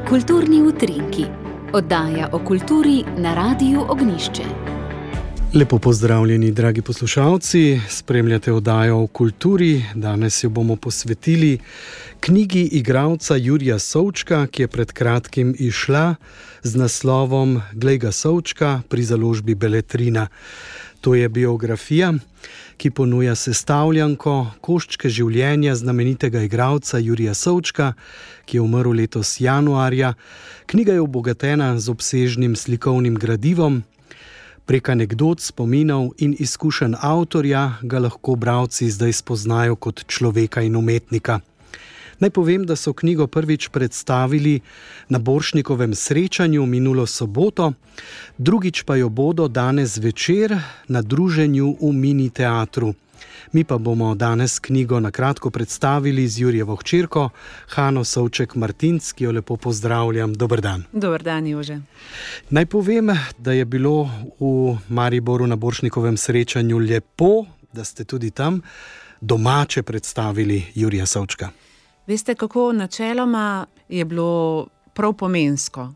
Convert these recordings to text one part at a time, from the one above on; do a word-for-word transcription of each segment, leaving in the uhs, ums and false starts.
Kulturni utrinki. Oddaja o kulturi na Radiu Ognjišče. Lepo pozdravljeni, dragi poslušalci. Spremljate oddajo o kulturi. Danes jo bomo posvetili knjigi igralca Jurija Součka, ki je pred kratkim izšla z naslovom Glej ga Součka pri založbi Beletrina. To je biografija, ki ponuja sestavljanko, koščke življenja znamenitega igralca Jurija Součka, ki je umrl letos januarja. Knjiga je obogatena z obsežnim slikovnim gradivom. Prek anekdot, spominov in izkušenj avtorja ga lahko bralci zdaj spoznajo kot človeka in umetnika. Naj povem, da so knjigo prvič predstavili na Borštnikovem srečanju minulo soboto, drugič pa jo bodo danes večer na druženju v Mini teatru. Mi pa bomo danes knjigo na kratko predstavili z Jurijevo hčerko, Hano Souček Martinc, ki jo lepo pozdravljam. Dober dan. Dober dan, Jože. Naj povem, da je bilo v Mariboru na Borštnikovem srečanju lepo, da ste tudi tam domače predstavili Jurija Součka. Veste, kako načeloma je bilo prav pomensko,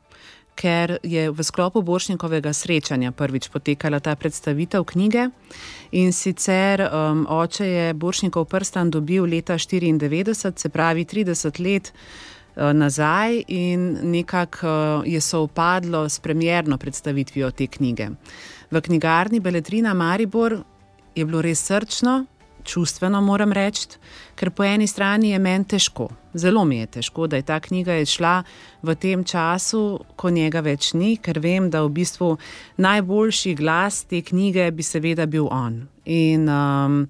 ker je v sklopu Borštnikovega srečanja prvič potekala ta predstavitev knjige in sicer um, oče je Borštnikov prstan dobil leta štiriindevetdeset, se pravi trideset let uh, nazaj in nekako uh, je sovpadlo s premierno predstavitvijo te knjige. V knjigarni Beletrina Maribor je bilo res srčno, čustveno moram reči, ker po eni strani je meni težko, zelo mi je težko, da je ta knjiga šla v tem času, ko njega več ni, ker vem, da v bistvu najboljši glas te knjige bi seveda bil on. In um,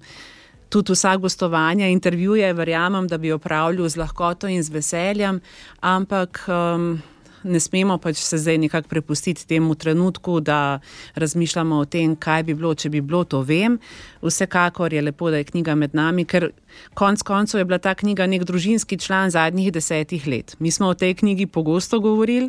tudi vsa gostovanja, intervjuje, verjamem, da bi opravljal z lahkoto in z veseljem, ampak um, ne smemo pač se zdaj nekako prepustiti temu trenutku, da razmišljamo o tem, kaj bi bilo, če bi bilo, to vem. Vsekakor je lepo, da je knjiga med nami, ker konc koncev je bila ta knjiga nek družinski član zadnjih desetih let. Mi smo o tej knjigi pogosto govorili.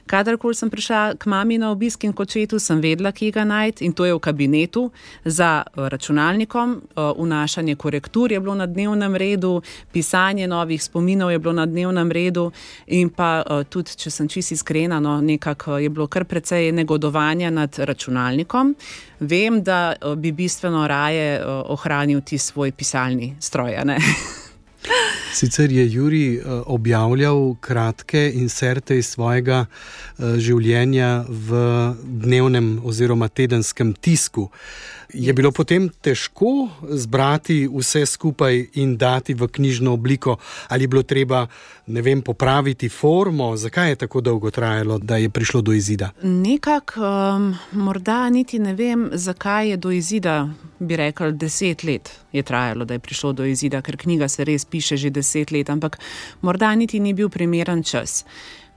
Kadarkoli sem prišla k mami na obisk in k očetu, sem vedela, kje ga najti, in to je v kabinetu za računalnikom. Vnašanje korektur je bilo na dnevnem redu, pisanje novih spominov je bilo na dnevnem redu in pa tudi, če sem čisto iskrena, no, nekako je bilo kar precej negodovanja nad računalnikom. Vem, da bi bistveno raje ohranil ti svoj pisalni stroj, a ne? Sicer je Jurij objavljal kratke inserte iz svojega življenja v dnevnem oziroma tedenskem tisku. Je bilo potem težko zbrati vse skupaj in dati v knjižno obliko? Ali je bilo treba, ne vem, popraviti formo? Zakaj je tako dolgo trajalo, da je prišlo do izida? Nekako, um, morda niti ne vem, zakaj je do izida, bi rekel, deset let je trajalo, da je prišlo do izida, ker knjiga se res piše že deset let, ampak morda niti ni bil primeren čas.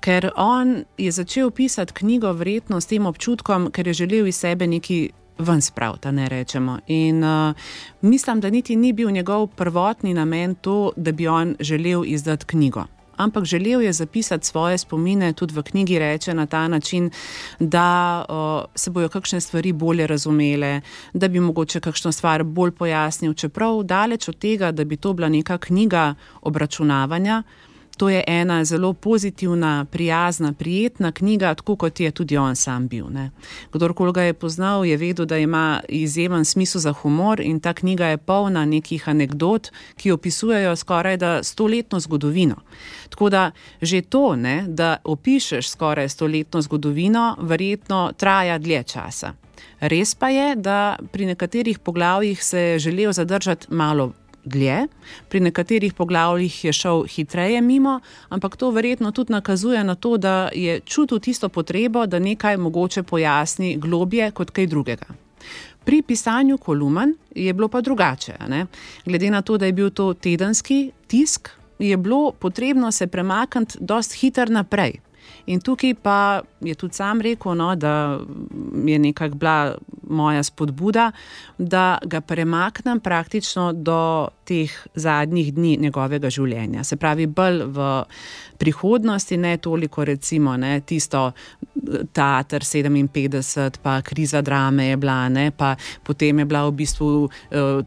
Ker on je začel pisati knjigo verjetno s tem občutkom, ker je želel iz sebe neki ven spraviti, ne rečemo. In uh, mislim, da niti ni bil njegov prvotni namen to, da bi on želel izdati knjigo. Ampak želel je zapisati svoje spomine, tudi v knjigi reče na ta način, da uh, se bojo kakšne stvari bolje razumele, da bi mogoče kakšno stvar bolj pojasnil, čeprav daleč od tega, da bi to bila neka knjiga obračunavanja. To je ena zelo pozitivna, prijazna, prijetna knjiga, tako kot je tudi on sam bil. Ne. Kdorkoli ga je poznal, je vedel, da ima izjemen smisel za humor in ta knjiga je polna nekih anekdot, ki opisujejo skoraj da stoletno zgodovino. Tako da že to, ne, da opišeš skoraj stoletno zgodovino, verjetno traja dlje časa. Res pa je, da pri nekaterih poglavjih se je želel zadržati malo dlje, pri nekaterih poglavjih je šel hitreje mimo, ampak to verjetno tudi nakazuje na to, da je čutil tisto potrebo, da nekaj mogoče pojasni globje kot kaj drugega. Pri pisanju kolumen je bilo pa drugače, ne? Glede na to, da je bil to tedenski tisk, je bilo potrebno se premakniti dosti hitro naprej. In tukaj pa je tudi sam rekel, no, da je nekako bila moja spodbuda, da ga premaknem praktično do teh zadnjih dni njegovega življenja. Se pravi, bolj v prihodnosti, ne toliko recimo ne, tisto Teater sedeminpetdeset, pa kriza drame je bila, ne, pa potem je bila v bistvu uh,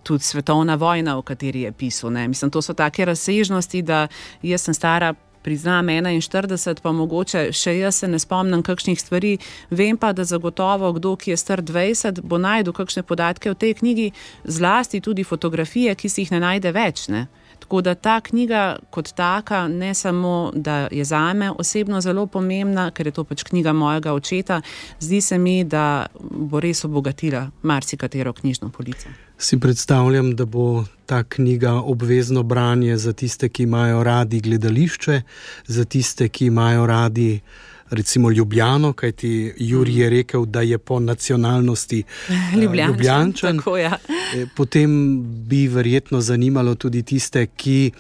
tudi svetovna vojna, o kateri je pisal. Ne. Mislim, to so take razsežnosti, da jaz sem stara, priznam, enainštirideset, pa mogoče še jaz se ne spomnim kakšnih stvari, vem pa, da zagotovo kdo, ki je star dvajset, bo najdel kakšne podatke v tej knjigi, zlasti tudi fotografije, ki si jih ne najde več, ne. Tako da ta knjiga kot taka ne samo, da je zame osebno zelo pomembna, ker je to pač knjiga mojega očeta, zdi se mi, da bo res obogatila marsikatero knjižno polico. Si predstavljam, da bo ta knjiga obvezno branje za tiste, ki imajo radi gledališče, za tiste, ki imajo radi recimo Ljubljano, kajti Jurij je rekel, da je po nacionalnosti Ljubljančan. Ljubljančan. Tako, ja. Potem bi verjetno zanimalo tudi tiste, ki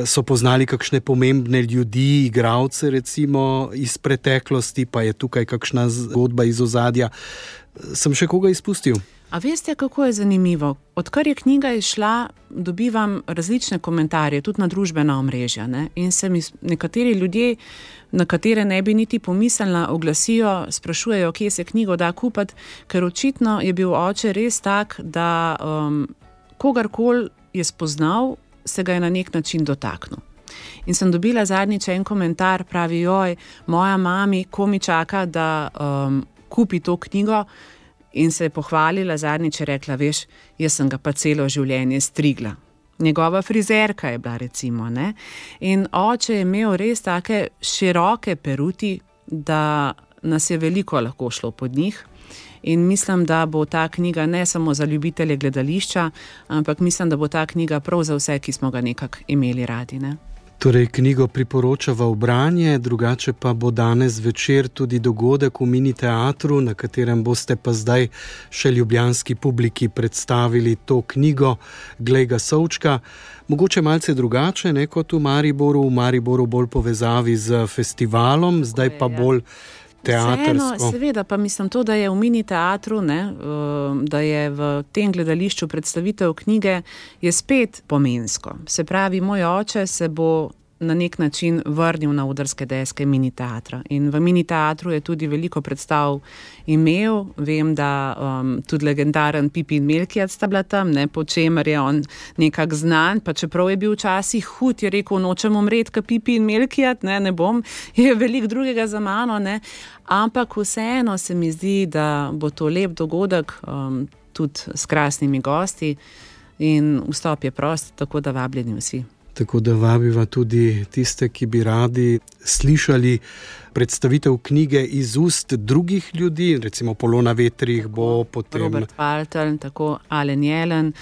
so poznali kakšne pomembne ljudi, igralce recimo iz preteklosti, pa je tukaj kakšna zgodba iz ozadja. Sem še koga izpustil? A veste, kako je zanimivo? Odkar je knjiga izšla, dobivam različne komentarje, tudi na družbena omrežja, ne? In se mi nekateri ljudje, na katere ne bi niti pomislila, oglasijo, sprašujejo, kje se knjigo da kupiti, ker očitno je bil oče res tak, da um, kogarkoli je spoznal, se ga je na nek način dotaknil. In sem dobila zadnjič en komentar, pravi, joj, moja mami, ko mi čaka, da um, kupi to knjigo, in se je pohvalila, zadnjič je rekla, veš, jaz sem ga pa celo življenje strigla. Njegova frizerka je bila recimo, ne. In oče je imel res take široke peruti, da nas je veliko lahko šlo pod njih. In mislim, da bo ta knjiga ne samo za ljubitelje gledališča, ampak mislim, da bo ta knjiga prav za vse, ki smo ga nekako imeli radi, ne. Torej, knjigo priporočava v branje, drugače pa bo danes večer tudi dogodek v Mini teatru, na katerem boste pa zdaj še ljubljanski publiki predstavili to knjigo Glej ga Sovčka. Mogoče malce drugače, ne kot v Mariboru, v Mariboru bolj povezavi z festivalom, zdaj pa bolj teatrsko. Vseeno, seveda, pa mislim to, da je v Mini teatru, ne, da je v tem gledališču predstavitev knjige, je spet pomensko. Se pravi, moj oče se bo na nek način vrnil na odrske deske Mini teatra. In v Mini teatru je tudi veliko predstav imel. Vem, da um, tudi legendaren Pipi in Melkijad sta bila tam, ne, po čemer je on nekak znan, pa čeprav je bil včasih hud, je rekel, nočem umret, ka Pipi in Melkijad, ne, ne bom, je veliko drugega za mano, ne, ampak vseeno se mi zdi, da bo to lep dogodek, um, tudi s krasnimi gosti in vstop je prost, tako da vabljeni vsi. Tako da vabiva tudi tiste, ki bi radi slišali predstavitev knjige iz ust drugih ljudi, recimo Polona Vetrih bo potem... Robert Valtelj, tako Alen Jelen,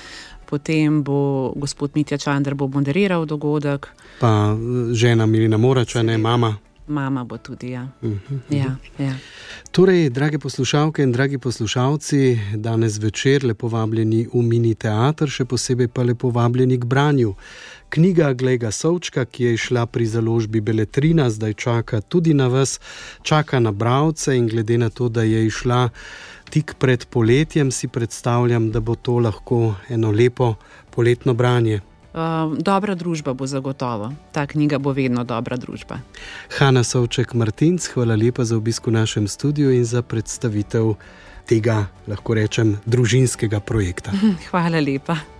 potem bo gospod Mitja Čander bo moderiral dogodek. Pa žena Milena Morača, ne, mama. Mama bo tudi, ja. Uh-huh. ja, ja. Torej, drage poslušalke in dragi poslušalci, danes večer lepo vabljeni v Mini teater, še posebej pa lepo vabljeni k branju. Knjiga Glej ga Sovčka, ki je išla pri založbi Beletrina, zdaj čaka tudi na vas, čaka na bralce in glede na to, da je išla tik pred poletjem, si predstavljam, da bo to lahko eno lepo poletno branje. Uh, dobra družba bo zagotovo. Ta knjiga bo vedno dobra družba. Hana Savček-Martinc, hvala lepa za obisk v našem studiu in za predstavitev tega, lahko rečem, družinskega projekta. Hvala lepa.